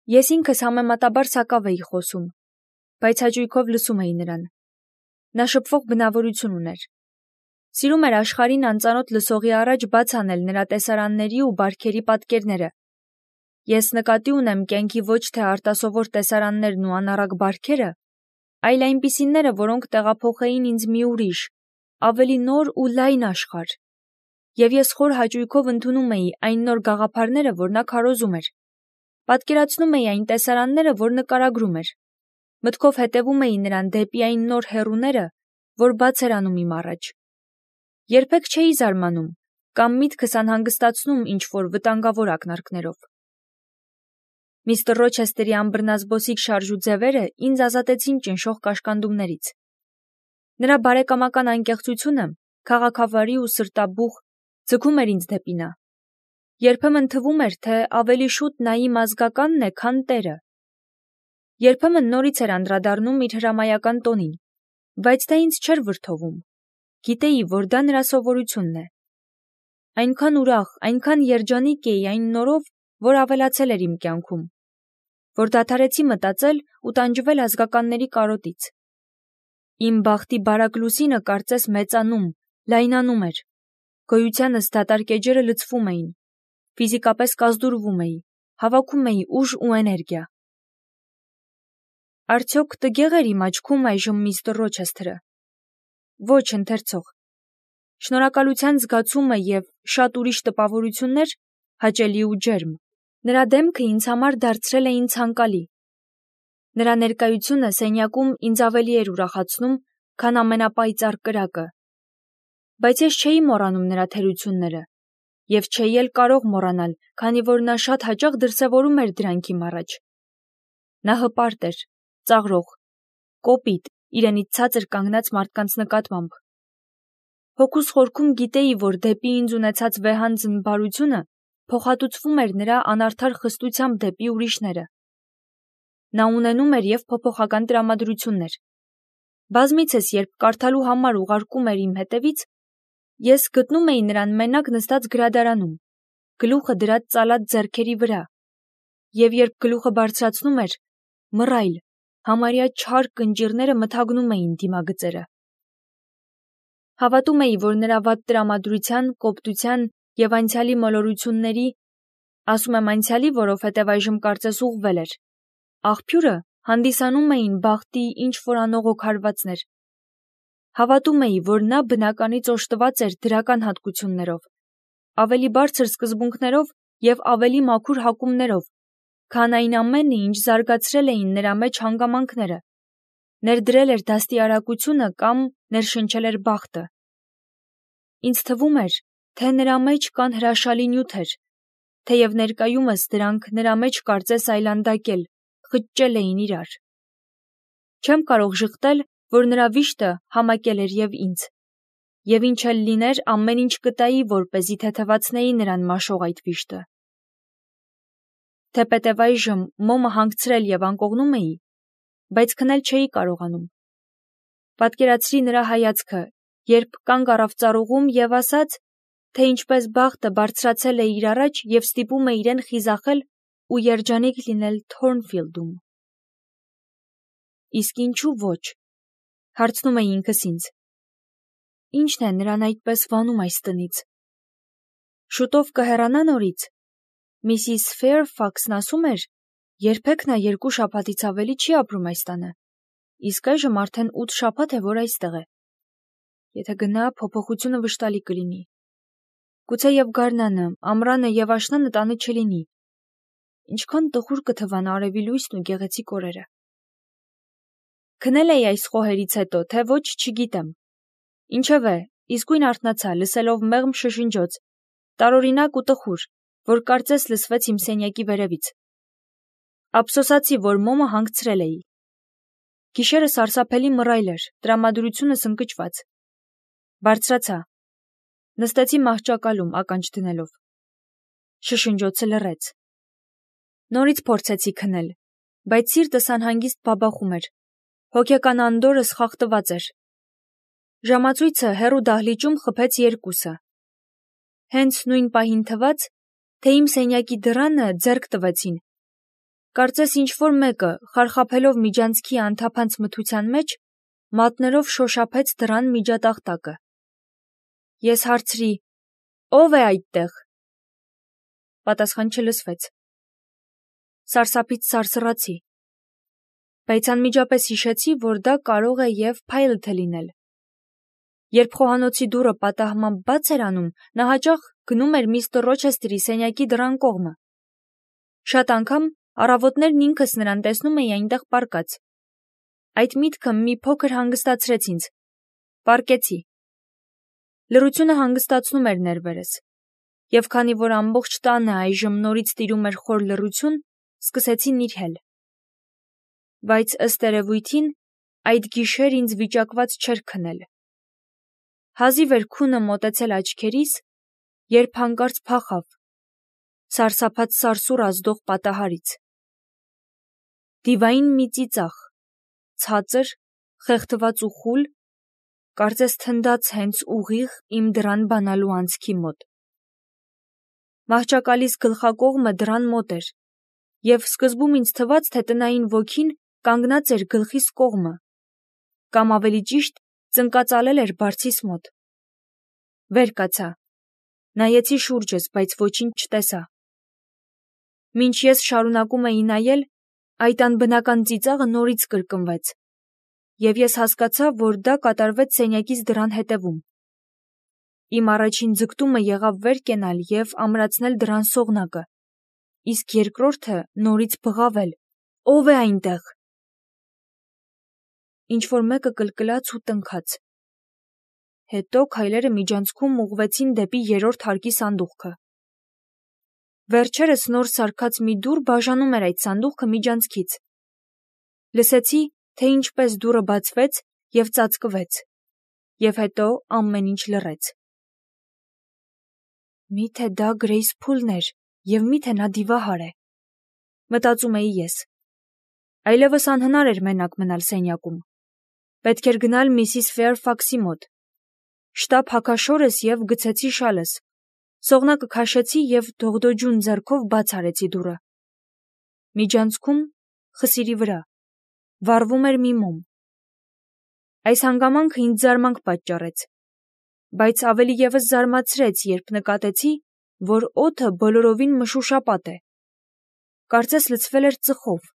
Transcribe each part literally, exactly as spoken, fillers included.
Ես ինքս համեմատաբար սակավ էի խոսում, բայց հաճույքով լսում էի նրան. նա շփվող բնավորություն ուներ. սիրում էր աշխարհին անծանոթ լսողի առաջ բաց անել նրա տեսարանների ու բարքերի պատկերները. ես նկատի ունեմ կյանքի ոչ թե արտասովոր տեսարաններն ու անառակ բարքերը, այլ այնպիսիները, որոնք տեղափոխեին ինձ մի ուրիշ, ավելի նոր ու լայն աշխարհ, և ես խոր հաճույքով ընդունում էի այն նոր գաղափարները, որ նա քարոզում էր, պատկերացնում էի այն տեսարանները, որ նկարագրում էր, մտքով հետևում էի նրան դեպի այն նոր հեռուները, որ բաց էր անում իմ առաջ։ Երբեք չէի զարմանում կամ միտքս անհանգստացնում ինչ-որ վտանգավոր ակնարկներով։ Միստր Ռոչեսթերի անբռնազբոսիկ շարժու ձևերը ինձ ազատեցին ճնշող կաշկանդումներից։ Նրա բարեկամական անկեղծությունը, քաղաքավարի ու սրտաբուխ, ձգում էր ինձ դեպի նա։ Երբեմն թվում էր, թե ավելի շուտ նա իմ ազգականն է, քան տերը։ Երբեմն նորից էր անդրադառնում իր հրամայական տոնին, բայց դա ինձ չէր վրդովում։ Գիտեի, որ դա նրա սովորությունն է։ Այնքան ուրախ, այնքան երջանիկ էի այն նորով, որ ավելացել էր իմ կյանքում, որ դադարեցի մտածել ու տանջվել ազգականների կարոտից։ Իմ բախտի բարակ լուսինը կարծես մեծանում, լայնանում էր, գոյությանս դատարկ էջերը լցվում էին, ֆիզիկապես կազդուրվում էի, հավաքում էի ուժ ու էներգիա։ Արդյոք տգեղ էր իմ աչքում այժմ միստր Ռոչեսթերը։ Ոչ, ընթերցող։ Շնորհակալության զգացումը և շատ ուրիշ տպավորություններ, հաճելի ու ջերմ, նրա դեմքը ինձ համար դարձրել էին ցանկալի։ Նրա ներկայությունը սենյակում ինձ ավելի էր ուրախացնում, քան ամենապայծառ կրակը։ Բայց ես չէի մոռանում նրա թերությունները, և չէի էլ կարող մոռանալ, քանի որ նա շատ հաճախ դրսևորում էր դրանք իմ առաջ։ Նա հպարտ էր, ծաղրող, կոպիտ, իրենից ցածր կանգնած մարդկանց նկատմամբ։ Հոգուս խորքում գիտեի, որ դեպի ինձ ունեցած վեհանձն բարությունը փոխհատուցվում էր նրա անարդար խստությամբ դեպի ուրիշները։ Նա ունենում էր և փոփոխական տրամադրություններ։ Բազմիցս, երբ կարդալու համար ուղարկում էր իմ հետևից, ես գտնում էի նրան մենակ նստած գրադարանում, գլուխը դրած ծալած ձեռքերի վրա, և երբ գլուխը բարձրացնում էր, մռայլ, համարյա չար կնճիռները մթագնում էին դիմագծերը։ Հավատում էի, որ նրա վատ տրամադրության, կոպտության և անցյալի մոլորությունների, ասում եմ անցյալի, որովհետև այժմ կարծես ուղղվել էր, աղբյուրը հանդիսանում էին բախտի ինչ-որ անողոք հարվածներ։ Հավատում էի, որ նա բնականից օժտված էր դրական հատկություններով, ավելի բարձր սկզբունքներով և ավելի մաքուր հակումներով, քան այն ամենը, ինչ զարգացրել էին նրա մեջ հանգամանքները, ներդրել էր դաստիարակությունը կամ ներշնչել էր բախտը։ Ինձ թվում էր, թե նրա մեջ կան հրաշալի նյութեր, թեև ներկայումս դրանք նրա մեջ կարծես այլանդակել, խճճել էին իրար։ Չեմ կարող ժխտել, որ նրա վիշտը համակել էր և ինձ, և ինչ էլ լիներ, ամեն ինչ կտայի, որպեսզի թեթևացնեի նրան մաշող այդ վիշտը։ Թեպետև այժմ մոմը հանգցրել և անկողնում էի, բայց քնել չէի կարողանում։ Պատկերացրի նրա հայացքը, երբ կանգ առավ ծառուղում և ասաց, թե ինչպես բախտը բարձրացել է իր առաջ և ստիպում է իրեն խիզախել ու երջանիկ լինել Թորնֆիլդում։ Իսկ ինչու ոչ, հարցնում էի ինքս ինձ։ Ի՞նչն է նրան այդպես վանում այս տնից։ Շուտով կհեռանա նորից։ Միսիս Ֆեյրֆաքսն ասում էր, երբեք նա երկու շաբաթից ավելի չի ապրում այս տանը, իսկ այժմ արդեն ութ շաբաթ է, որ այստեղ է։ Եթե գնա, փոփոխությունը վշտալի կլինի։ Գուցեև գարնանը, ամռանը և աշնանը տանը չլինի։ Ինչքան տխուր կթվան արևի լույսն ու գեղեցիկ օրերը։ Քնել էի այս խոհերից հետո, թե ոչ, չգիտեմ։ Ինչևէ, իսկույն արթնացա, լսելով մեղմ շշնջոց, տարօրինակ ու տխուր, որ կարծես լսվեց իմ սենյակի վերևից։ Ափսոսացի, որ մոմը հանգցրել էի։ Գիշերը սարսափելի մռայլ էր, տրամադրությունս ընկճված։ Բարձրացա։ Նստեցի մահճակալում, ականջ դնելով։ Շշնջոցը լռեց։ Նորից փորձեցի քնել, բայց սիրտս անհանգիստ բաբախում էր, հոգեկան անդորրս խախտված էր։ Ժամացույցը հեռու դահլիճում խփեց երկուսը։ Հենց նույն պահին թվաց, թե իմ սենյակի դռանը ձեռք տվեցին, Կարծես ինչ-որ մեկը, խարխափելով միջանցքի անթափանց մթության մեջ, մատներով շոշափեց դռան միջատախտակը։ Ես հարցրի. «Ո՞վ է այդտեղ»։ Պատասխան չլսվեց։ Սարսափից սարսռացի, բայց անմիջապես հիշեցի, որ դա կարող է և Փայլթը լինել։ Երբ խոհանոցի դուռը պատահմամբ բաց էր անում, նա հաճախ գնում էր միստր Ռոչեսթերի սենյակի դռան կողմը։ Շատ անգամ առավոտներն ինքս նրան տեսնում էի այնտեղ պառկած։ Այդ միտքը մի փոքր հանգստացրեց ինձ։ Պառկեցի։ Լռությունը հանգստացնում էր ներվերս, և քանի որ ամբողջ տանը այժմ նորից տիրում էր խոր լռություն, սկսեցի նիրհել։ Բայց ըստ երևույթին, այդ գիշեր ինձ վիճակված չէր քնել։ Հազիվ էր քունը մոտեցել աչքերիս, երբ հանկարծ փախավ, սարսափած սարսուռ ազդող պատահարից։ Դիվային մի ծիծաղ, ցածր, խեղդված ու խուլ, կարծես թնդաց հենց ուղիղ իմ դռան բանալու անցքի մոտ։ Մահճակալիս գլխակողմը դռան մոտ էր, և սկզբում ինձ թվաց, թե տնային ոգին կանգնած էր գլխիս կողմը, կամ ավելի ճիշտ, ծնկածալել էր բարձիս մոտ։ Վեր կացա, նայեցի շուրջս, բայց ոչինչ չտեսա։ Մինչ ես շարունակում էի նայել, այդ անբնական ծիծաղը նորից կրկնվեց, և ես հասկացա, որ դա կատարվեց սենյակիս դռան հետևում։ Իմ առաջին ձգտումը եղավ վեր կենալ և ամրացնել դռան սողնակը, իսկ երկրորդը նորից բղավել. «Ո՞վ է այնտեղ»։ Ինչ-որ մեկը կլկլաց ու տնքաց։ Հետո քայլերը միջանցքում ուղղվեցին դեպի երրորդ հարկի սանդուղքը։ Վերջերս նոր սարքած մի դուռ բաժանում էր այդ սանդուղքը միջանցքից։ Լսեցի, թե ինչպես դուռը բացվեց և ծածկվեց, և հետո ամեն ինչ լռեց։ Միթե դա Գրեյս Փուլն էր, և միթե նա դիվահար է, մտածում էի ես։ Այլևս անհնար էր մենակ մնալ սենյակում։ Պետք էր գնալ միսիս Ֆեյրֆաքսի մոտ։ Շտապ հագաշորս և գցեցի շալս, սողնակը քաշեցի և դողդոջուն ձեռքով բաց արեցի դուռը։ Միջանցքում, խսիրի վրա, վառվում էր մի մոմ։ Այս հանգամանքը ինձ զարմանք պատճառեց, բայց ավելի ևս զարմացրեց, երբ նկատեցի, որ օդը բոլորովին մշուշապատ է։ Կարծես լցվել էր ծխով։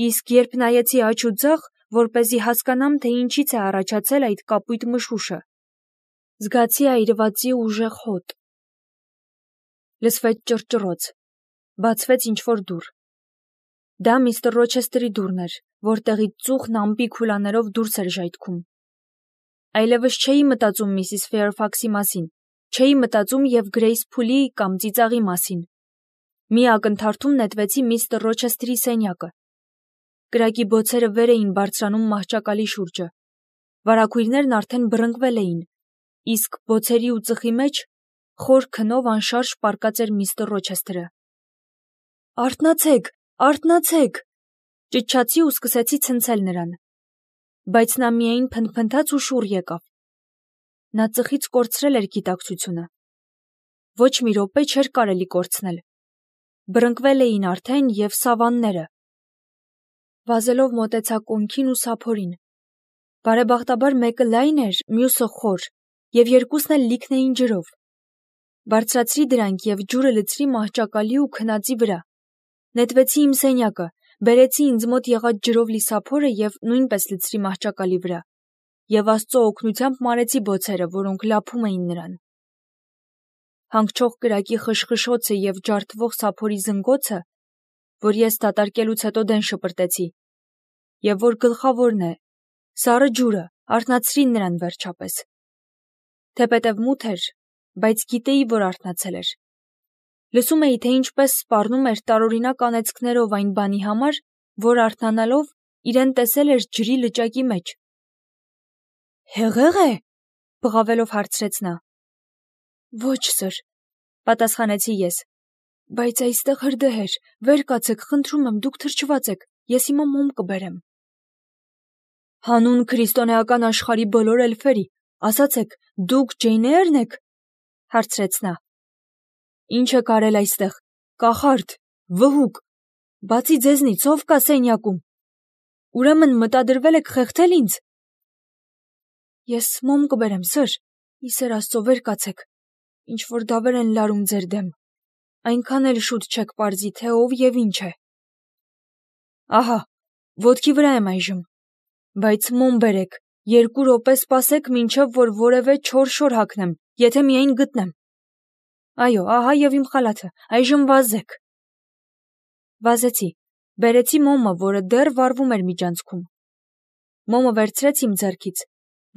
Իսկ երբ նայեցի աջ ու ձախ, որպեսզի հասկանամ, թե ինչից է առաջացել այդ կապույտ մշուշը, զգացի այրվածի ուժեղ հոտ։ Լսվեց ճռճռոց, բացվեց ինչ-որ դուռ։ Դա միստր Ռոչեսթերի դուռն էր, որտեղից ծուխն ամպի քուլաներով դուրս էր ժայթքում։ Այլևս չէի մտածում միսիս Ֆեյրֆաքսի մասին, չէի մտածում և Գրեյս Փուլի կամ ծիծաղի մասին։ Մի ակնթարթում նետվեցի միստր Ռոչեսթերի սենյակը։ Կրակի բոցերը վեր էին բարձրանում մահճակալի շուրջը։ Վարագույրներն արդեն բռնկվել էին, իսկ բոցերի ու ծխի մեջ խոր քնով անշարժ պառկած էր միստր Ռոչեսթերը։ «Արթնացեք, արթնացեք», ճչացի ու սկսեցի ցնցել նրան։ Բայց նա միայն փնթփնթաց ու շուռ եկավ։ Նա ծխից կորցրել էր գիտակցությունը։ Ոչ մի րոպե չէր կարելի կորցնել։ Բռնկվել էին արդեն և սավանները։ Վազելով մոտեցա կոնքին ու սափորին։ Բարեբախտաբար մեկը լայն էր, մյուսը խոր, և երկուսն էլ լիքն էին ջրով։ Բարձրացրի դրանք և ջուրը լցրի մահճակալի ու քնածի վրա։ Նետվեցի իմ սենյակը, բերեցի ինձ մոտ եղած ջրով լի սափորը և նույնպես լցրի մահճակալի վրա, և Աստծո օգնությամբ մարեցի բոցերը, որոնք լափում էին նրան։ Հանգչող կրակի խշխշոցը և ջարդվող սափորի զնգոցը, որ ես դատարկելուց հետո դեն շպրտեցի, և որ գլխավորն է, սառը ջուրը, արթնացրին նրան վերջապես։ Թեպետև մութ էր, բայց գիտեի, որ արթնացել էր։ Լսում էի, թե ինչպես սպառնում էր տարօրինակ անեծքներով այն բանի համար, որ արթնանալով իրեն տեսել էր ջրի լճակի մեջ։ «Հեղե՞ղ է», բղավելով հարցրեց նա։ «Ոչ, սըր», պատասխանեցի ես, բայց այստեղ հրդեհ էր, վեր կացեք, խնդրում եմ, դուք թրջված եք, ես հիմա մոմ կբերեմ։ Հանուն քրիստոնեական աշխարհի բոլոր էլֆերի, ասացեք, դուք Ջեյն Էյրն եք, հարցրեց նա։ Ինչ եք արել այստեղ, կախարդ, վհուկ, Բացի ձեզնից ով կա սենյակում։ Ուրեմն մտադրվել եք խեղդել ինձ։ Ես մոմ կբերեմ, սըր, ի սեր Աստծո վեր կացեք, ինչ որ դավեր են լարում ձեր դեմ, այնքան էլ շուտ չեք պարզի, թե ով և ինչ է։ Ահա, ոտքի վրա եմ այժմ, բայց մոմ բերեք, երկու րոպե սպասեք, մինչև որ որևէ չոր շոր հագնեմ, եթե միայն գտնեմ։ Այո, ահա և իմ խալաթը, այժմ վազեք։ Վազեցի, բերեցի մոմը, որը դեռ վառվում էր միջանցքում։ Մոմը վերցրեց իմ ձեռքից,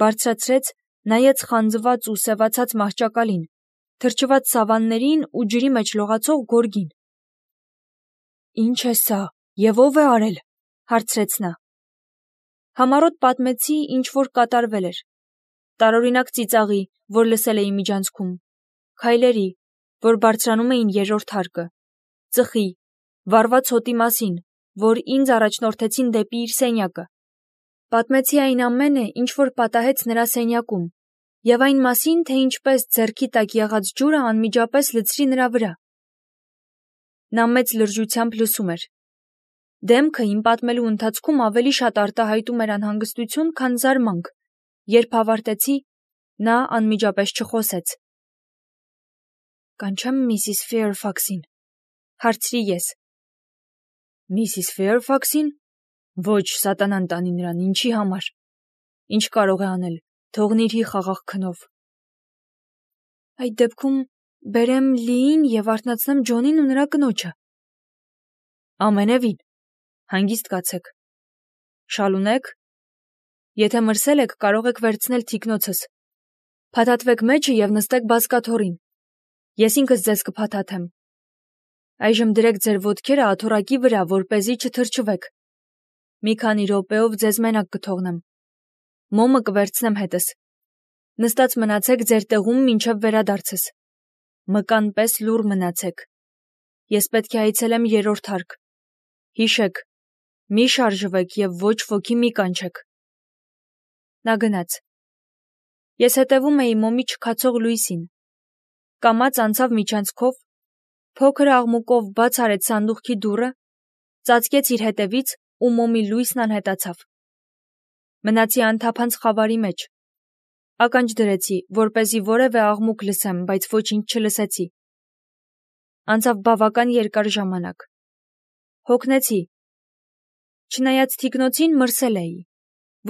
բարձրացրեց, նայեց խանձված ու սևացած մահճակալին, թրջված սավաններին ու ջրի մեջ լողացող գորգին։ Ինչ է սա, և ով է արել, հարցրեց նա։ Համառոտ պատմեցի, ինչ որ կատարվել էր, տարօրինակ ծիծաղի, որ լսել էի միջանցքում, քայլերի, որ բարձրանում էին երրորդ հարկը, ծխի, վառված հոտի մասին, որ ինձ առաջնորդեցին դեպի իր սենյակը։ Պատմեցի այն ամենը, ինչ որ պատահեց նրա սենյակում, և այն մասին, թե ինչպես ձեռքի տակ եղած ջուրը անմիջապես լցրի նրա վրա։ Նա մեծ լրջությամբ լսում էր։ Դեմքը իմ պատմելու ընթացքում ավելի շատ արտահայտում էր անհանգստություն, քան զարմանք, երբ ավարտեցի, նա անմիջապես չխոսեց։ Կանչեմ միսիս Ֆեյրֆաքսին, հարցրի ես։ Միսիս Ֆեյրֆաքսին։ Ոչ, սատանան տանի նրան, ինչի համար։ Ինչ կարող է անել, թողնիր-ի խաղաղ քնով։ Այդ դեպքում բերեմ Լիին և արթնացնեմ Ջոնին ու նրա կնոջը։ Ամենևին, հանգիստ կացեք։ Շալունեք։ Եթե մրսել եք, կարող եք վերցնել թիկնոցս։ Փաթաթվեք մեջը և նստեք բազկաթոռին։ Ես ինքս ձեզ կփաթաթեմ։ Այժմ դրեք ձեր ոտքերը աթոռակի վրա, որպեսզի չթրջվեք։ Մի քանի րոպեով ձեզ մենակ կթողնեմ։ Մոմը կվերցնեմ հետս։ Նստած մնացեք ձեր տեղում մինչև վերադարձս։ Մկան պես լուռ մնացեք։ Ես պետք է այցելեմ երրորդ հարկ։ Հիշեք, մի շարժվեք և ոչ ոքի մի կանչեք։ Նա գնաց։ Ես հետևում էի մոմի չքացող լույսին։ Կամաց անցավ միջանցքով, փոքր աղմուկով բաց արեց սանդուղքի դուռը, ծածկեց իր հետևից ու մոմի լույսն անհետացավ։ Մնացի անթափանց խավարի մեջ։ Ականջ դրեցի, որպեսզի որևէ աղմուկ լսեմ, բայց ոչինչ չլսեցի։ Անցավ բավական երկար ժամանակ։ Հոգնեցի։ Չնայած թիկնոցին մրսել էի։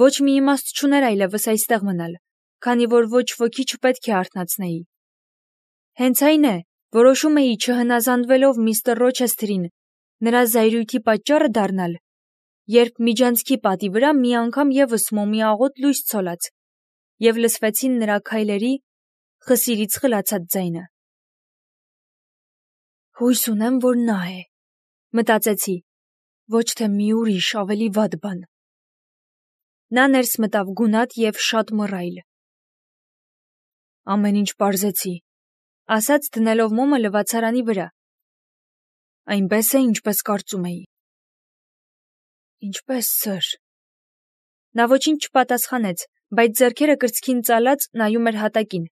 Ոչ մի իմաստ չուներ այլևս այստեղ մնալ, քանի որ ոչ ոքի չպետք է արթնացնեի։ Հենց այն է, որոշում էի չհնազանդվելով միստր Ռոչեսթերին, նրա զայրույթի պատճառը դառնալ, երբ միջանցքի պատի վրա մի անգամ ևս մոմի աղոտ լույս ցոլած, և լսվեցին նրա քայլերի խսիրից խլացած ձայնը։ Հույս ունեմ, որ նա է, մտածեցի, ոչ թե մի ուրիշ ավելի վատ բան։ Նա ներս մտավ գունատ և շատ մռայլ։ Ամեն ինչ պարզեցի, ասաց դնելով մոմը լվացարանի վրա։ Այնպես է, ինչպես կարծում էի։ Ինչպես, սըր։ Նա ոչինչ չպատասխանեց, բայց ձեռքերը կրծքին ծալած նայում էր հատակին։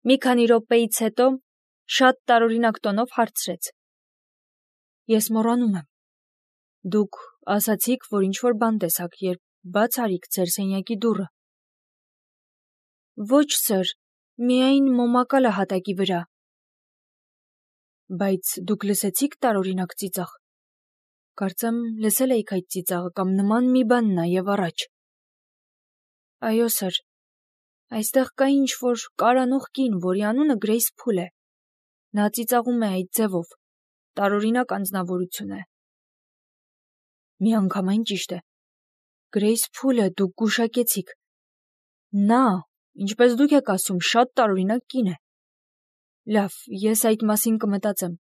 Մի քանի րոպեից հետո շատ տարօրինակ տոնով հարցրեց. Ես մոռանում եմ։ Դուք ասացիք, որ ինչ-որ բան տեսաք, երբ բաց արիք ձեր սենյակի դուռը։ Ոչ, սըր, միայն մոմակալը հատակի վրա։ Բայց դուք լսեցիք տարօրինակ ծիծաղ։ Կարծեմ լսել էիք այդ ծիծաղը կամ նման մի բան նաև առաջ։ Այո, սըր, այստեղ կա ինչ-որ կարանող կին, որի անունը Գրեյս Փուլ է։ Նա ծիծաղում է այդ ձևով, տարօրինակ անձնավորություն է։ Միանգամայն ճիշտ է։ Գրեյս Փուլը դուք գուշակեցիք։ Նա, ինչպես դուք եք ասում, շատ տարօրինակ կին է։ Լավ, ես այդ մասին կմտածեմ։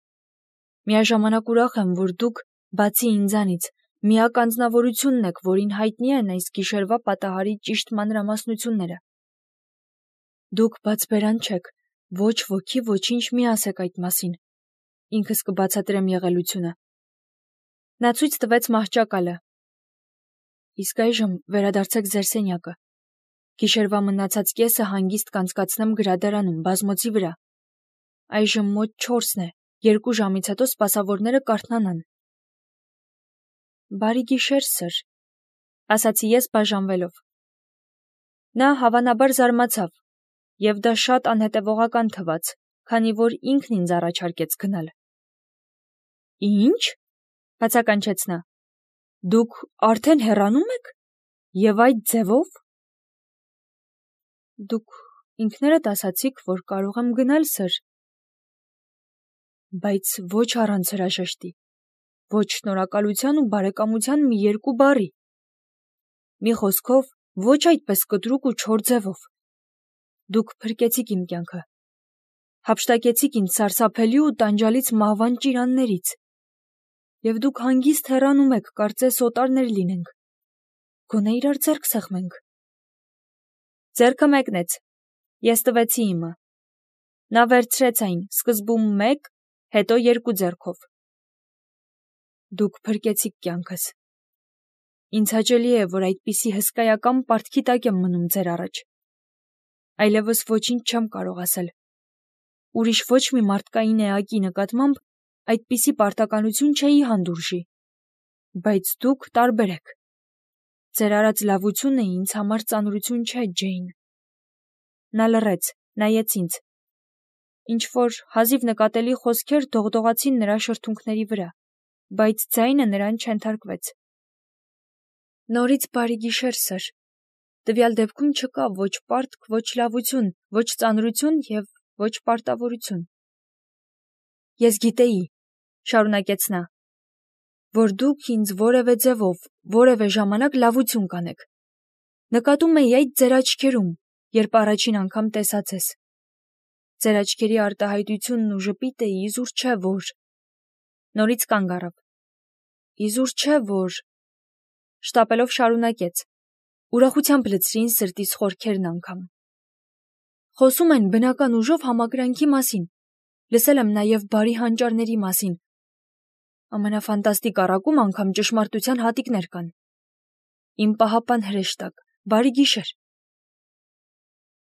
Միաժամանակ ուրախ եմ, որ դուք, բացի ինձանից, միակ անձնավորությունն եք, որին հայտնի են այս գիշերվա պատահարի ճիշտ մանրամասնությունները։ Դուք բացբերան չեք, ոչ ոքի ոչինչ մի ասեք այդ մասին։ Ինքս կբացատրեմ եղելությունը։ Նա ցույց տվեց մահճակալը։ Իսկ այժմ վերադարձեք ձեր սենյակը։ Գիշերվա մնացած կեսը հանգիստ կանցկացնեմ գրադարանում, բազմոցի վրա։ Այժմ մոտ չորսն է, երկու ժամից հետո սպասավորները կարթնանան։ Բարի գիշեր, սր, ասացի ես բաժանվելով։ Նա հավանաբար զարմացավ, և դա շատ անհետևողական թվաց, քանի որ ինքն ինձ առաջարկեց գնալ։ Ինչ, բացականչեց նա, դուք արդեն հեռանում եք, և այդ ձևով։ Դուք ինքներդ ասացիք, որ կարող եմ գնալ, սր, բայց ոչ առանց հրաժեշտի, ոչ շնորհակալության ու բարեկամության մի երկու բառի։ Մի խոսքով, ոչ այդպես կտրուկ ու չոր ձևով։ Դուք փրկեցիք իմ կյանքը, հափշտակեցիք ինձ սարսափելի ու տանջալից մահվան ճիրաններից, և դուք հանգիստ հեռանում եք, կարծես օտարներ լինենք, գոնե իրար ձեռք սեղմենք։ Ձեռքը մեկնեց, ես տվեցի իմը։ Նա վերցրեց այն, սկզբում մեկ, հետո երկու ձեռքով։ Դուք փրկեցիք կյանքս։ Ինձ հաճելի է, որ այդպիսի հսկայական պարտքի տակ եմ մնում ձեր առաջ։ Այլևս ոչինչ չեմ կարող ասել։ Ուրիշ ոչ մի մարդկային էակի նկատմամբ այդպիսի պարտականություն չէի հանդուրժի։ Բայց դուք տարբեր եք։ Ձեր արած լավությունը ինձ համար ծանրություն չէ, Ջեյն։ Նա լռեց, նայեց ինձ։ Ինչ-որ հազիվ նկատելի խոսքեր դողդողացին նրա շրթունքների վրա, բայց ձայնը նրան չենթարկվեց։ Նորից բարի գիշեր, սր։ Տվյալ դեպքում չկա ոչ պարտք, ոչ լավություն, ոչ ծանրություն և ոչ պարտավորություն։ Ես գիտեի, շարունակեց նա, որ դուք ինձ որևէ ձևով, որևէ ժամանակ լավություն կանեք։ Նկատում էի այդ ձեր աչքերում, երբ առաջին անգամ տեսած ես։ Ձեր աչքերի արտահայտությունն ու ժպիտը իզուր չէ, որ… Նորից կանգ առավ։ Իզուր չէ, որ… Շտապելով շարունակեց, ուրախությամբ լցրին սրտիս խորքերն անգամ։ Խոսում են բնական ուժով համակրանքի մասին, լսել եմ նաև բարի հանճարների մասին։ Ամենաֆանտաստիկ առակում անգամ ճշմարտության հատիկներ կան։ Իմ պահապան հրեշտակ, բարի գիշեր։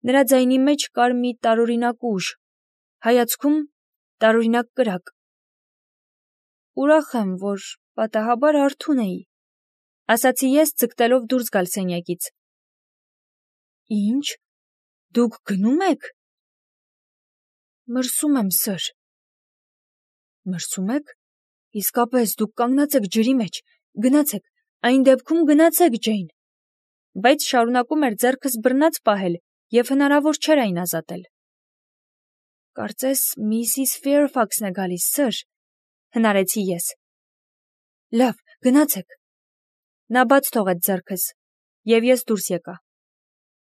Նրա ձայնի մեջ կար մի տարօրինակ ուժ, հայացքում տարօրինակ կրակ։ Ուրախ եմ, որ պատահաբար արթուն էի, ասացի ես, ձգտելով դուրս գալ սենյակից։ Ինչ, դուք գնում եք։ Մրսում եմ, սր։ Մրսում եք։ Իսկապես, դուք կանգնած եք ջրի մեջ, գնացեք, այն դեպքում գնացեք, Ջեյն։ Բայց շարունակում էր ձեռքս բռնած պահել, և հնարավոր չէր այն ազատել։ Կարծես միսիս Ֆեյրֆաքսն է գալիս, սր, հնարեցի ես։ Լավ, գնացեք։ Նա բաց թողեց ձեռքս, և ես դուրս եկա։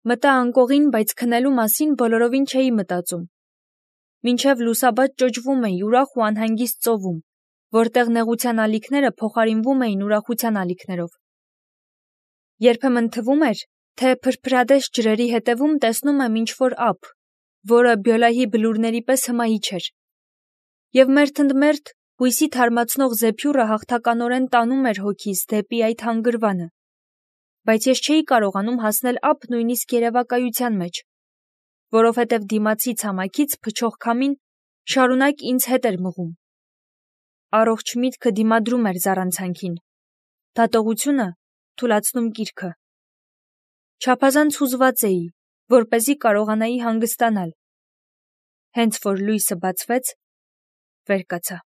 Մտա անկողին, բայց քնելու մասին բոլորովին չէի մտածում։ Մինչև լուսաբաց ճոճվում էի ուրախ ու անհանգիստ ծովում, որտեղ նեղության ալիքները փոխարինվում էին ուրախության ալիքներով։ Երբեմն թվում էր, թե փրփրադես ջրերի հետևում տեսնում եմ ինչ-որ ափ, որը Բյոլահի բլուրների պես հմայիչ էր։ Եվ մերթընդմերթ հույսի թարմացնող զեփյուռը հաղթականորեն տանում էր հոգիս դեպի այդ հանգրվանը։ Բայց ես չէի կարողանում հասնել ափ նույնիսկ երևակայության մեջ, որովհետև դիմացի ցամաքից փչող քամին շարունակ ինձ հետ էր մղում։ Առողջ միտքը դիմադրում էր զառանցանքին, դատողությունը թուլացնում կիրքը։ Չափազանց հուզված էի, որպեսզի կարողանայի հանգստանալ։ Հենց որ լույսը բացվեց, վեր կացա։